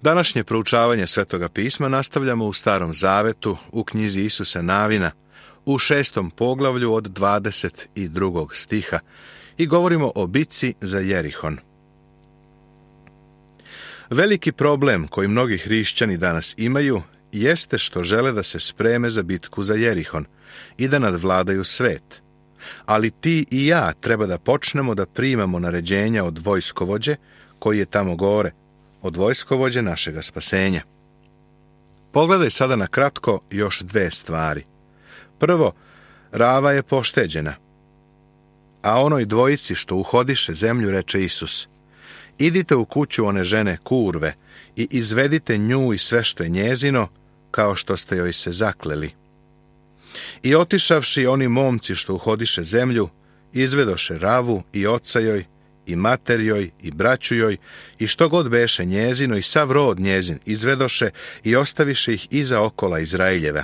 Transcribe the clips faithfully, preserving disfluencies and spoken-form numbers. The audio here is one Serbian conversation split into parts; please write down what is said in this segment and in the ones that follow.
Današnje proučavanje Svetoga pisma nastavljamo u Starom zavetu, u knjizi Isusa Navina, u šestom poglavlju od dvadeset drugog stiha i govorimo o bitci za Jerihon. Veliki problem koji mnogi hrišćani danas imaju jeste što žele da se spreme za bitku za Jerihon i da nadvladaju svet. Ali ti i ja treba da počnemo da primamo naređenja od vojskovođe koji je tamo gore, od vojskovođe našega spasenja. Pogledaj sada na kratko još dve stvari. Prvo, Rava je pošteđena, a onoj dvojici što uhodiše zemlju reče Isus: idite u kuću one žene kurve i izvedite nju i sve što je njezino, kao što ste joj se zakleli. I otišavši oni momci što uhodiše zemlju, izvedoše Ravu i oca joj, i mater joj, i braću joj, i što god beše njezino, i sav rod njezin izvedoše i ostaviše ih iza okola Izraeljeva.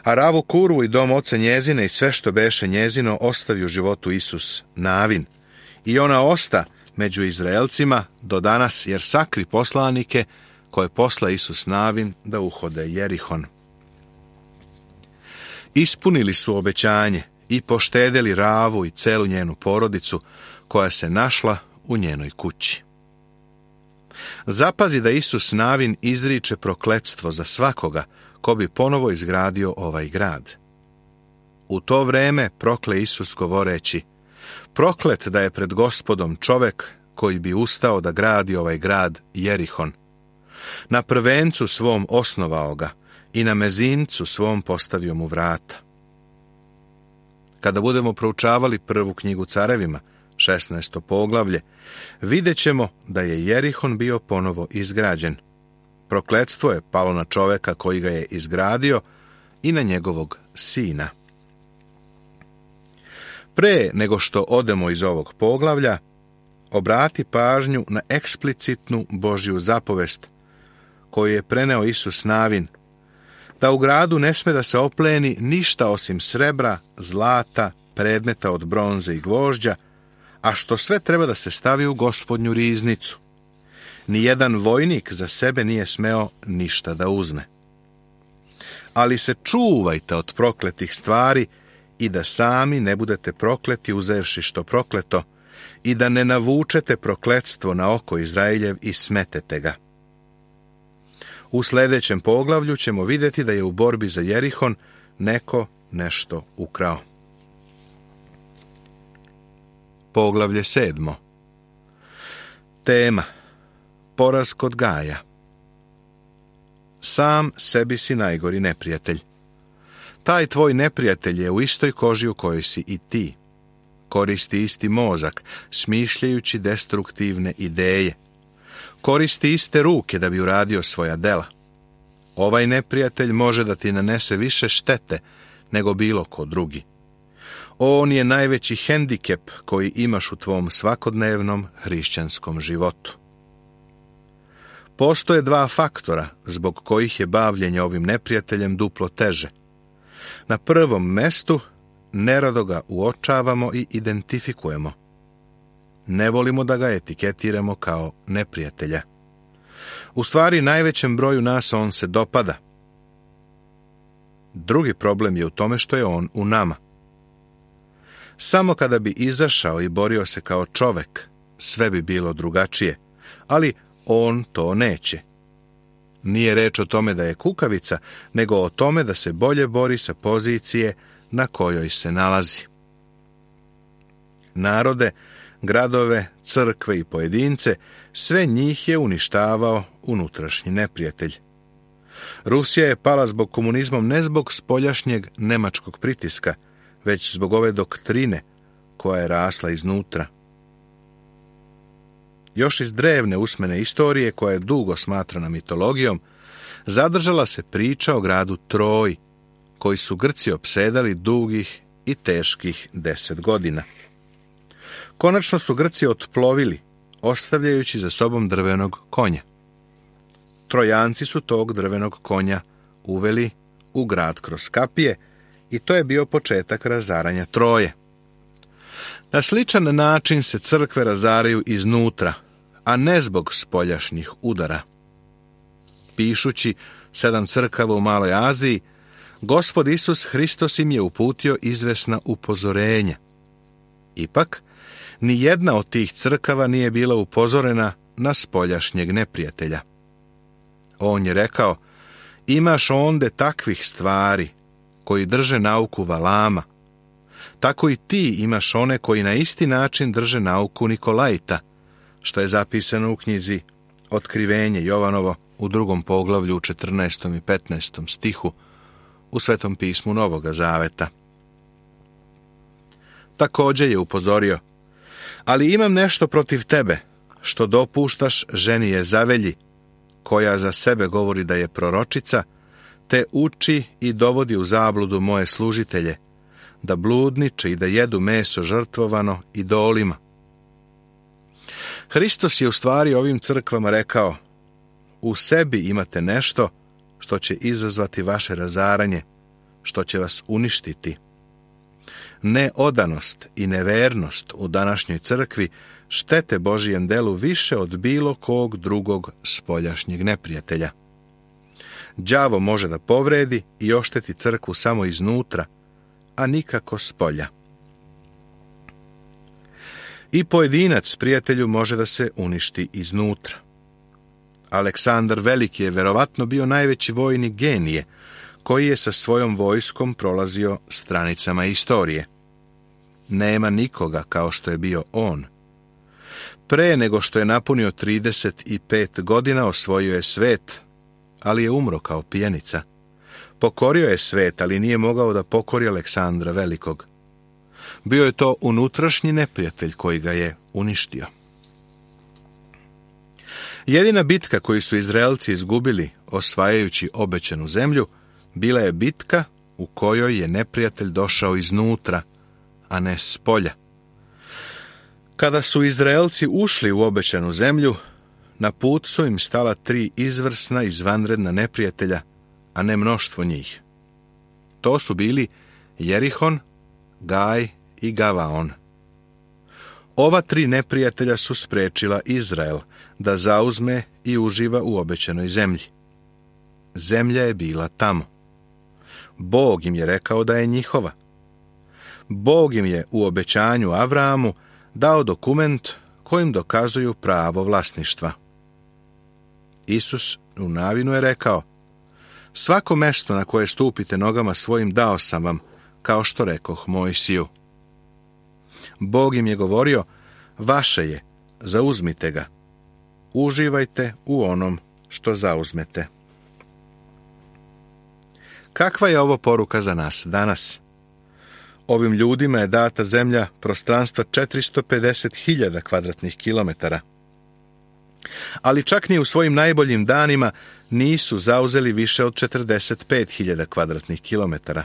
A Ravu kurvu i dom oca njezine i sve što beše njezino ostavi u životu Isus Navin. I ona osta među Izraelcima do danas, jer sakri poslanike koje posla Isus Navin da uhode Jerihon. Ispunili su obećanje i poštedeli Ravu i celu njenu porodicu koja se našla u njenoj kući. Zapazi da Isus Navin izriče prokletstvo za svakoga ko bi ponovo izgradio ovaj grad. U to vreme prokle Isus govoreći: proklet da je pred Gospodom čovek koji bi ustao da gradi ovaj grad Jerihon. Na prvencu svom osnovao ga i na mezincu svom postavio mu vrata. Kada budemo proučavali prvu knjigu Carevima, šesnaesto poglavlje, vidjet ćemo da je Jerihon bio ponovo izgrađen. Prokletstvo je palo na čoveka koji ga je izgradio i na njegovog sina. Pre nego što odemo iz ovog poglavlja, obrati pažnju na eksplicitnu Božju zapovest koju je preneo Isus Navin, da u gradu ne sme da se opleni ništa osim srebra, zlata, predmeta od bronze i gvožđa, a što sve treba da se stavi u Gospodnju riznicu. Nijedan vojnik za sebe nije smeo ništa da uzme. Ali se čuvajte od prokletih stvari i da sami ne budete prokleti uzevši što prokleto i da ne navučete prokletstvo na oko Izraeljev i smetete ga. U sljedećem poglavlju ćemo vidjeti da je u borbi za Jerihon neko nešto ukrao. Poglavlje sedmo. Tema: poraz kod Gaja. Sam sebi si najgori neprijatelj. Taj tvoj neprijatelj je u istoj koži u kojoj si i ti. Koristi isti mozak, smišljajući destruktivne ideje. Koristi iste ruke da bi uradio svoja dela. Ovaj neprijatelj može da ti nanese više štete nego bilo ko drugi. On je najveći hendikep koji imaš u tvom svakodnevnom hrišćanskom životu. Postoje dva faktora zbog kojih je bavljenje ovim neprijateljem duplo teže. Na prvom mestu nerado ga uočavamo i identifikujemo. Ne volimo da ga etiketiramo kao neprijatelja. U stvari, najvećem broju nas on se dopada. Drugi problem je u tome što je on u nama. Samo kada bi izašao i borio se kao čovek, sve bi bilo drugačije, ali on to neće. Nije reč o tome da je kukavica, nego o tome da se bolje bori sa pozicije na kojoj se nalazi. Narode, gradove, crkve i pojedince, sve njih je uništavao unutrašnji neprijatelj. Rusija je pala zbog komunizmom ne zbog spoljašnjeg nemačkog pritiska, već zbog ove doktrine koja je rasla iznutra. Još iz drevne usmene istorije, koja je dugo smatrana mitologijom, zadržala se priča o gradu Troji, koji su Grci opsedali dugih i teških deset godina. Konačno su Grci otplovili, ostavljajući za sobom drvenog konja. Trojanci su tog drvenog konja uveli u grad kroz kapije i to je bio početak razaranja Troje. Na sličan način se crkve razaraju iznutra, a ne zbog spoljašnjih udara. Pišući sedam crkava u Maloj Aziji, Gospod Isus Hristos im je uputio izvesna upozorenja. Ipak, ni jedna od tih crkava nije bila upozorena na spoljašnjeg neprijatelja. On je rekao, imaš onde takvih stvari koji drže nauku Valama, tako i ti imaš one koji na isti način drže nauku Nikolajta, što je zapisano u knjizi Otkrivenje Jovanovo u drugom poglavlju u četrnaestom i petnaestom stihu u Svetom pismu Novoga Zaveta. Također je upozorio, ali imam nešto protiv tebe, što dopuštaš ženi Jezavelji, koja za sebe govori da je proročica, te uči i dovodi u zabludu moje služitelje, da bludniče i da jedu meso žrtvovano idolima. Hristos je u stvari ovim crkvama rekao, u sebi imate nešto što će izazvati vaše razaranje, što će vas uništiti. Neodanost i nevernost u današnjoj crkvi štete Božijem delu više od bilo kog drugog spoljašnjeg neprijatelja. Đavo može da povredi i ošteti crkvu samo iznutra, a nikako spolja. I pojedinac prijatelju može da se uništi iznutra. Aleksandar Veliki je verovatno bio najveći vojnik genije, koji je sa svojom vojskom prolazio stranicama istorije. Nema nikoga kao što je bio on. Pre nego što je napunio trideset pet godina osvojio je svet, ali je umro kao pijenica. Pokorio je svet, ali nije mogao da pokori Aleksandra Velikog. Bio je to unutrašnji neprijatelj koji ga je uništio. Jedina bitka koju su Izraelci izgubili osvajajući obećanu zemlju bila je bitka u kojoj je neprijatelj došao iznutra, a ne s polja. Kada su Izraelci ušli u obećanu zemlju, na put su im stala tri izvrsna izvanredna neprijatelja, a ne mnoštvo njih. To su bili Jerihon, Gaj i Gavaon. Ova tri neprijatelja su sprečila Izrael da zauzme i uživa u obećanoj zemlji. Zemlja je bila tamo. Bog im je rekao da je njihova. Bog im je u obećanju Avrahamu dao dokument kojim dokazuju pravo vlasništva. Isus u Navinu je rekao, svako mesto na koje stupite nogama svojim dao sam vam, kao što rekoh Mojsiju. Bog im je govorio, vaše je, zauzmite ga. Uživajte u onom što zauzmete. Kakva je ovo poruka za nas danas? Ovim ljudima je data zemlja prostranstva četiristo pedeset hiljada kvadratnih kilometara. Ali čak ni u svojim najboljim danima nisu zauzeli više od četrdeset pet hiljada kvadratnih kilometara.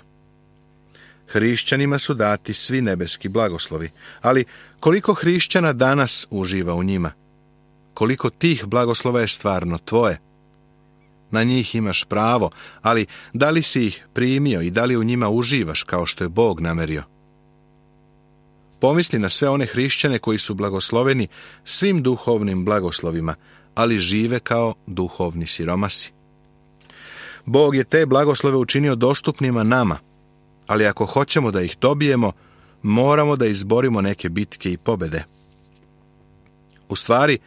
Hrišćanima su dati svi nebeski blagoslovi, ali koliko hrišćana danas uživa u njima? Koliko tih blagoslova je stvarno tvoje? Na njih imaš pravo, ali da li si ih primio i da li u njima uživaš kao što je Bog namerio? Pomisli na sve one hrišćane koji su blagosloveni svim duhovnim blagoslovima, ali žive kao duhovni siromasi. Bog je te blagoslove učinio dostupnima nama, ali ako hoćemo da ih dobijemo, moramo da izborimo neke bitke i pobede. U stvari,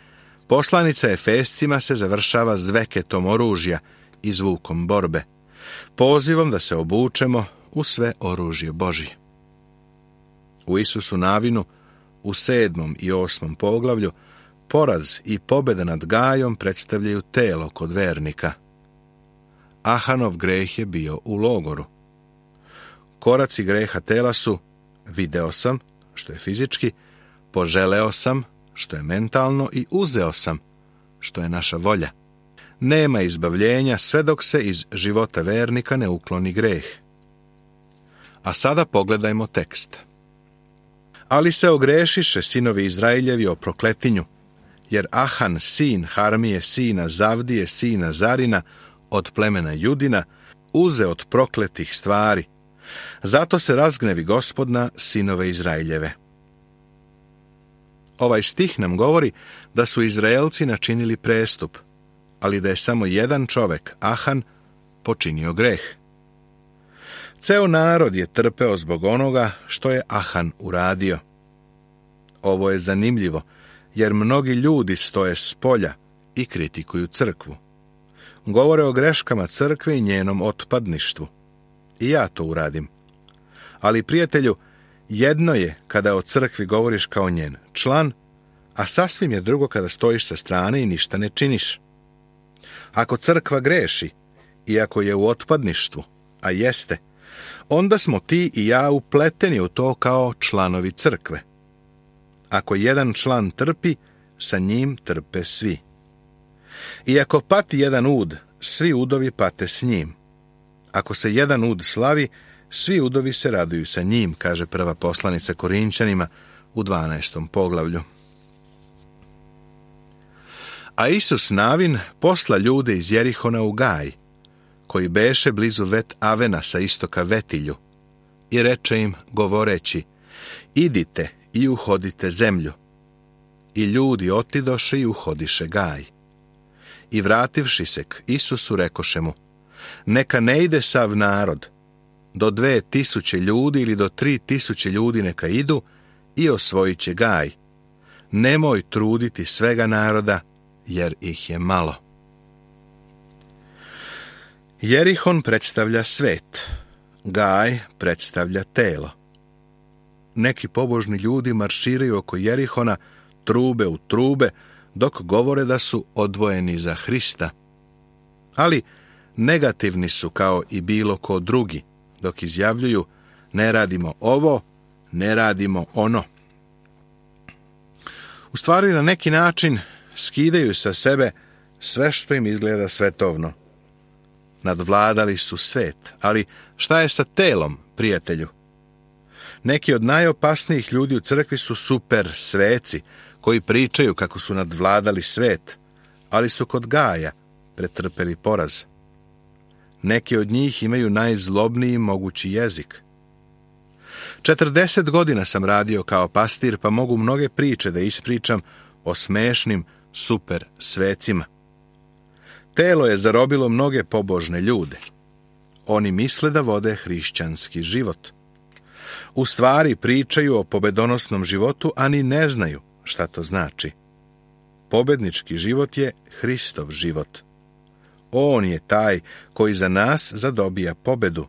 poslanica Efescima se završava zveketom oružja i zvukom borbe, pozivom da se obučemo u sve oružje Božje. U Isusu Navinu, u sedmom i osmom poglavlju, poraz i pobjeda nad Gajom predstavljaju telo kod vernika. Ahanov greh je bio u logoru. Koraci greha tela su video sam, što je fizički, poželeo sam, što je mentalno, i uzeo sam, što je naša volja. Nema izbavljenja sve dok se iz života vernika ne ukloni greh. A sada pogledajmo tekst. Ali se ogrešiše sinovi Izraeljevi o prokletinju, jer Ahan, sin Harmije, sina Zavdije, sina Zarina, od plemena Judina, uze od prokletih stvari. Zato se razgnevi Gospod na sinove Izraeljeve. Ovaj stih nam govori da su Izraelci načinili prestup, ali da je samo jedan čovek, Ahan, počinio greh. Ceo narod je trpeo zbog onoga što je Ahan uradio. Ovo je zanimljivo, jer mnogi ljudi stoje s polja i kritikuju crkvu. Govore o greškama crkve i njenom otpadništvu. I ja to uradim. Ali, prijatelju, jedno je kada o crkvi govoriš kao njen član, a sasvim je drugo kada stojiš sa strane i ništa ne činiš. Ako crkva greši, i ako je u otpadništvu, a jeste, onda smo ti i ja upleteni u to kao članovi crkve. Ako jedan član trpi, sa njim trpe svi. I ako pati jedan ud, svi udovi pate s njim. Ako se jedan ud slavi, svi udovi se raduju sa njim, kaže prva poslanica Korinčanima u dvanaestom poglavlju. A Isus Navin posla ljude iz Jerihona u Gaj, koji beše blizu Vet Avena sa istoka Vetilju, i reče im, govoreći, idite i uhodite zemlju. I ljudi otidoše i uhodiše Gaj. I vrativši se k Isusu, rekoše mu, neka ne ide sav narod, do dve tisuće ljudi ili do tri tisuće ljudi neka idu i osvojit će Gaj. Nemoj truditi svega naroda, jer ih je malo. Jerihon predstavlja svet, Gaj predstavlja telo. Neki pobožni ljudi marširaju oko Jerihona trube u trube, dok govore da su odvojeni za Hrista. Ali negativni su kao i bilo ko drugi, dok izjavljuju ne radimo ovo, ne radimo ono. U stvari na neki način skidaju sa sebe sve što im izgleda svetovno. Nadvladali su svet, ali šta je sa telom, prijatelju? Neki od najopasnijih ljudi u crkvi su super sveci, koji pričaju kako su nadvladali svet, ali su kod Gaja pretrpeli poraz. Neki od njih imaju najzlobniji mogući jezik. Četrdeset godina sam radio kao pastir, pa mogu mnoge priče da ispričam o smešnim super svecima. Telo je zarobilo mnoge pobožne ljude. Oni misle da vode hrišćanski život. U stvari pričaju o pobedonosnom životu, a ni ne znaju šta to znači. Pobednički život je Hristov život. On je taj koji za nas zadobija pobedu,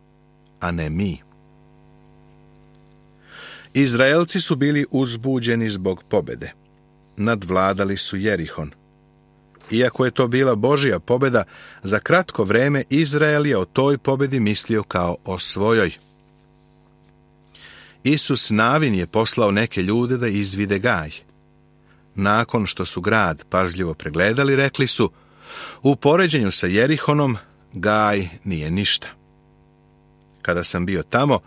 a ne mi. Izraelci su bili uzbuđeni zbog pobede. Nadvladali su Jerihon. Iako je to bila Božja pobeda, za kratko vreme Izrael je o toj pobedi mislio kao o svojoj. Isus Navin je poslao neke ljude da izvide Gaj. Nakon što su grad pažljivo pregledali, rekli su, u poređenju sa Jerihonom, Gaj nije ništa. Kada sam bio tamo,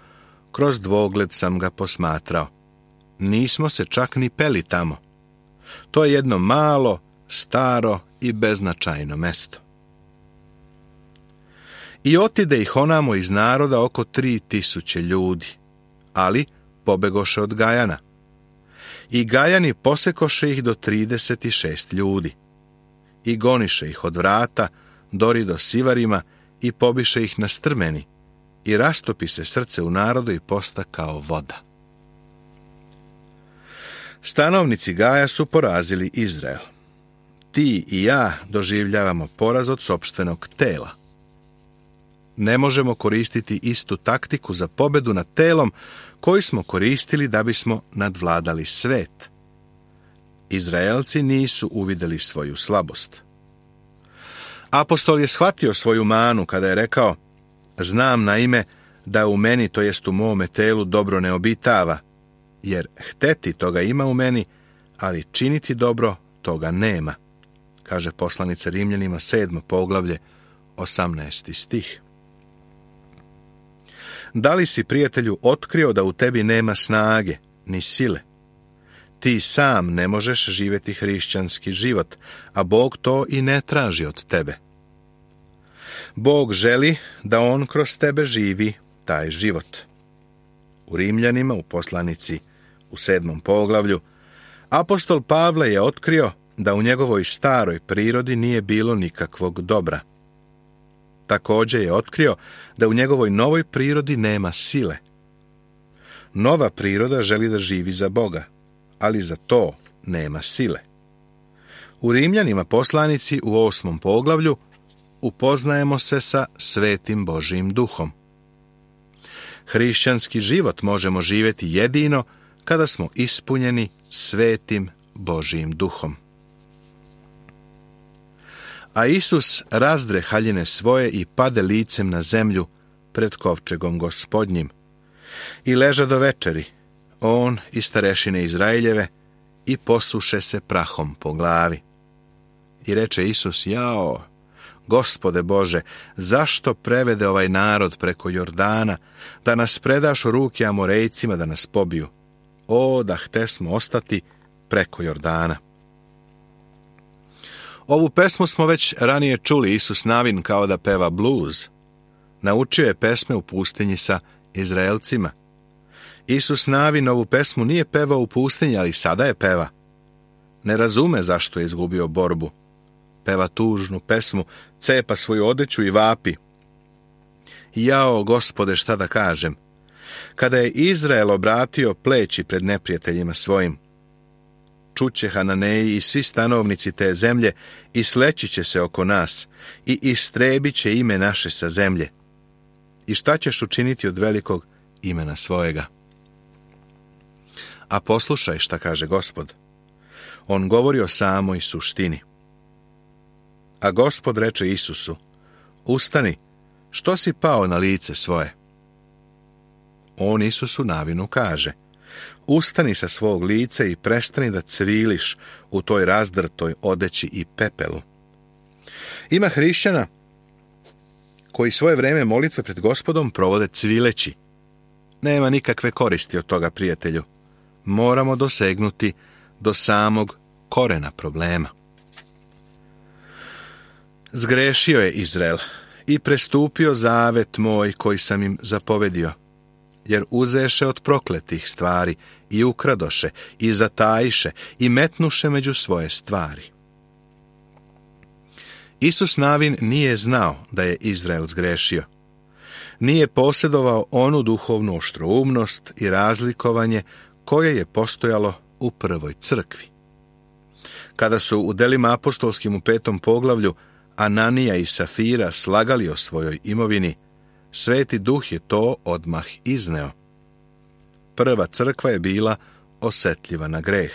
kroz dvogled sam ga posmatrao. Nismo se čak ni peli tamo. To je jedno malo, staro i beznačajno mesto. I otide ih onamo iz naroda oko tri tisuće ljudi, ali pobegoše od Gajana. I Gajani posekoše ih do trideset šest ljudi. I goniše ih od vrata, dori do Sivarima i pobiše ih na strmeni. I rastopi se srce u narodu i posta kao voda. Stanovnici Gaja su porazili Izrael. Ti i ja doživljavamo poraz od sopstvenog tela. Ne možemo koristiti istu taktiku za pobedu nad telom koju smo koristili da bismo nadvladali svet. Izraelci nisu uvidjeli svoju slabost. Apostol je shvatio svoju manu kada je rekao, znam naime da u meni, to jest u mome telu, dobro ne obitava, jer hteti toga ima u meni, ali činiti dobro toga nema, kaže poslanica Rimljanima sedmo poglavlje, osamnaesti stih. Da li si, prijatelju, otkrio da u tebi nema snage, ni sile? Ti sam ne možeš živjeti hrišćanski život, a Bog to i ne traži od tebe. Bog želi da on kroz tebe živi taj život. U Rimljanima, u poslanici u sedmom poglavlju, Apostol Pavle je otkrio da u njegovoj staroj prirodi nije bilo nikakvog dobra. Također je otkrio da u njegovoj novoj prirodi nema sile. Nova priroda želi da živi za Boga, ali za to nema sile. U Rimljanima poslanici u osmom poglavlju upoznajemo se sa svetim Božijim duhom. Hrišćanski život možemo živjeti jedino kada smo ispunjeni svetim Božijim duhom. A Isus razdre haljine svoje i pade licem na zemlju pred kovčegom Gospodnjim. I leža do večeri, on i starešine Izraeljeve, i posuše se prahom po glavi. I reče Isus: jao, Gospode Bože, zašto prevede ovaj narod preko Jordana, da nas predaš u ruke Amorejcima da nas pobiju? O, da htesmo ostati preko Jordana. Ovu pesmu smo već ranije čuli. Isus Navin kao da peva bluz. Naučio je pesme u pustinji sa Izraelcima. Isus Navin ovu pesmu nije pevao u pustinji, ali sada je peva. Ne razume zašto je izgubio borbu. Peva tužnu pesmu, cepa svoju odeću i vapi: jao, Gospode, šta da kažem? Kada je Izrael obratio pleći pred neprijateljima svojim, čuće Hananeji i svi stanovnici te zemlje i sleći će se oko nas i istrebit će ime naše sa zemlje. I šta ćeš učiniti od velikog imena svojega? A poslušaj šta kaže Gospod. On govori o samoj suštini. A Gospod reče Isusu: ustani, što si pao na lice svoje? On Isusu Navinu kaže: ustani sa svog lica i prestani da cviliš u toj razdrtoj odeći i pepelu. Ima hrišćana koji svoje vreme molitve pred Gospodom provode cvileći. Nema nikakve koristi od toga, prijatelju. Moramo dosegnuti do samog korena problema. Zgrešio je Izrael i prestupio zavet moj koji sam im zapovedio, jer uzeše od prokletih stvari i ukradoše i zatajiše i metnuše među svoje stvari. Isus Navin nije znao da je Izrael zgrešio. Nije posjedovao onu duhovnu oštroumnost i razlikovanje koje je postojalo u prvoj crkvi. Kada su u delima apostolskim u petom poglavlju Ananija i Safira slagali o svojoj imovini, Sveti Duh je to odmah izneo. Prva crkva je bila osjetljiva na greh.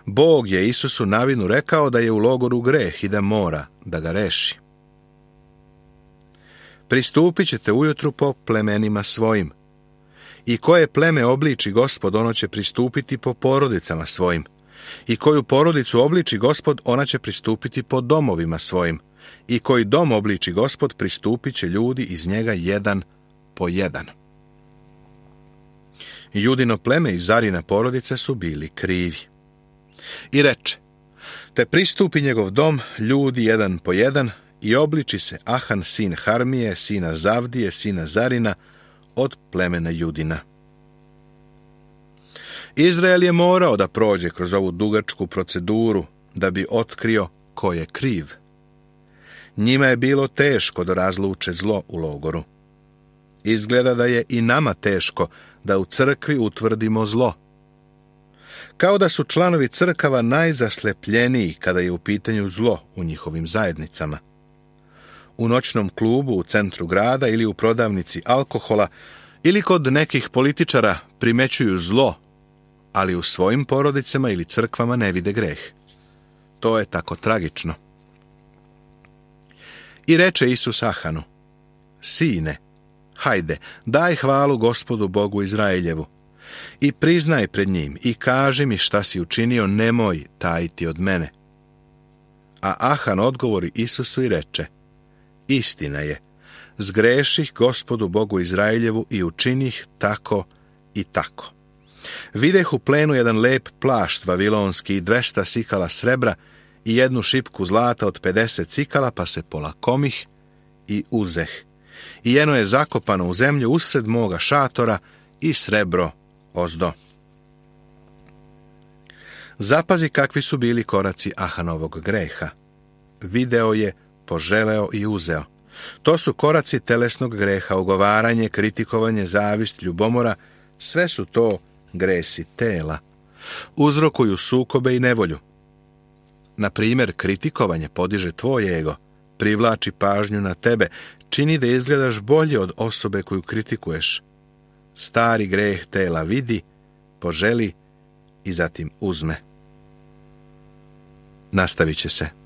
Bog je Isusu Navinu rekao da je u logoru greh i da mora da ga reši. Pristupit ćete ujutru po plemenima svojim. I koje pleme obliči Gospod, ono će pristupiti po porodicama svojim. I koju porodicu obliči Gospod, ona će pristupiti po domovima svojim. I koji dom obliči Gospod, pristupit će ljudi iz njega jedan po jedan. Judino pleme i Zarina porodica su bili krivi. I reče: te pristupi njegov dom ljudi jedan po jedan i obliči se Ahan sin Harmije, sina Zavdije, sina Zarina, od plemena Judina. Izrael je morao da prođe kroz ovu dugačku proceduru da bi otkrio ko je kriv. Njima je bilo teško da razluče zlo u logoru. Izgleda da je i nama teško da u crkvi utvrdimo zlo. Kao da su članovi crkava najzaslepljeniji kada je u pitanju zlo u njihovim zajednicama. U noćnom klubu u centru grada ili u prodavnici alkohola ili kod nekih političara primećuju zlo, ali u svojim porodicama ili crkvama ne vide greh. To je tako tragično. I reče Isus Ahanu: sine, hajde, daj hvalu Gospodu Bogu Izraeljevu i priznaj pred njim i kaži mi šta si učinio, nemoj tajiti od mene. A Ahan odgovori Isusu i reče: istina je, zgreših Gospodu Bogu Izraeljevu i učinih tako i tako. Videh u plenu jedan lep plašt vavilonski i dvesta sikala srebra i jednu šipku zlata od pedeset sikala, pa se polakomih i uzeh. I jeno je zakopano u zemlju usred moga šatora i srebro ozdo. Zapazi kakvi su bili koraci Ahanovog greha. Video je, poželeo i uzeo. To su koraci telesnog greha, ogovaranje, kritikovanje, zavist, ljubomora, sve su to gresi tela. Uzrokuju sukobe i nevolju. Na primjer, kritikovanje podiže tvoj ego, privlači pažnju na tebe, čini da izgledaš bolje od osobe koju kritikuješ. Stari greh tela vidi, poželi i zatim uzme. Nastavit će se.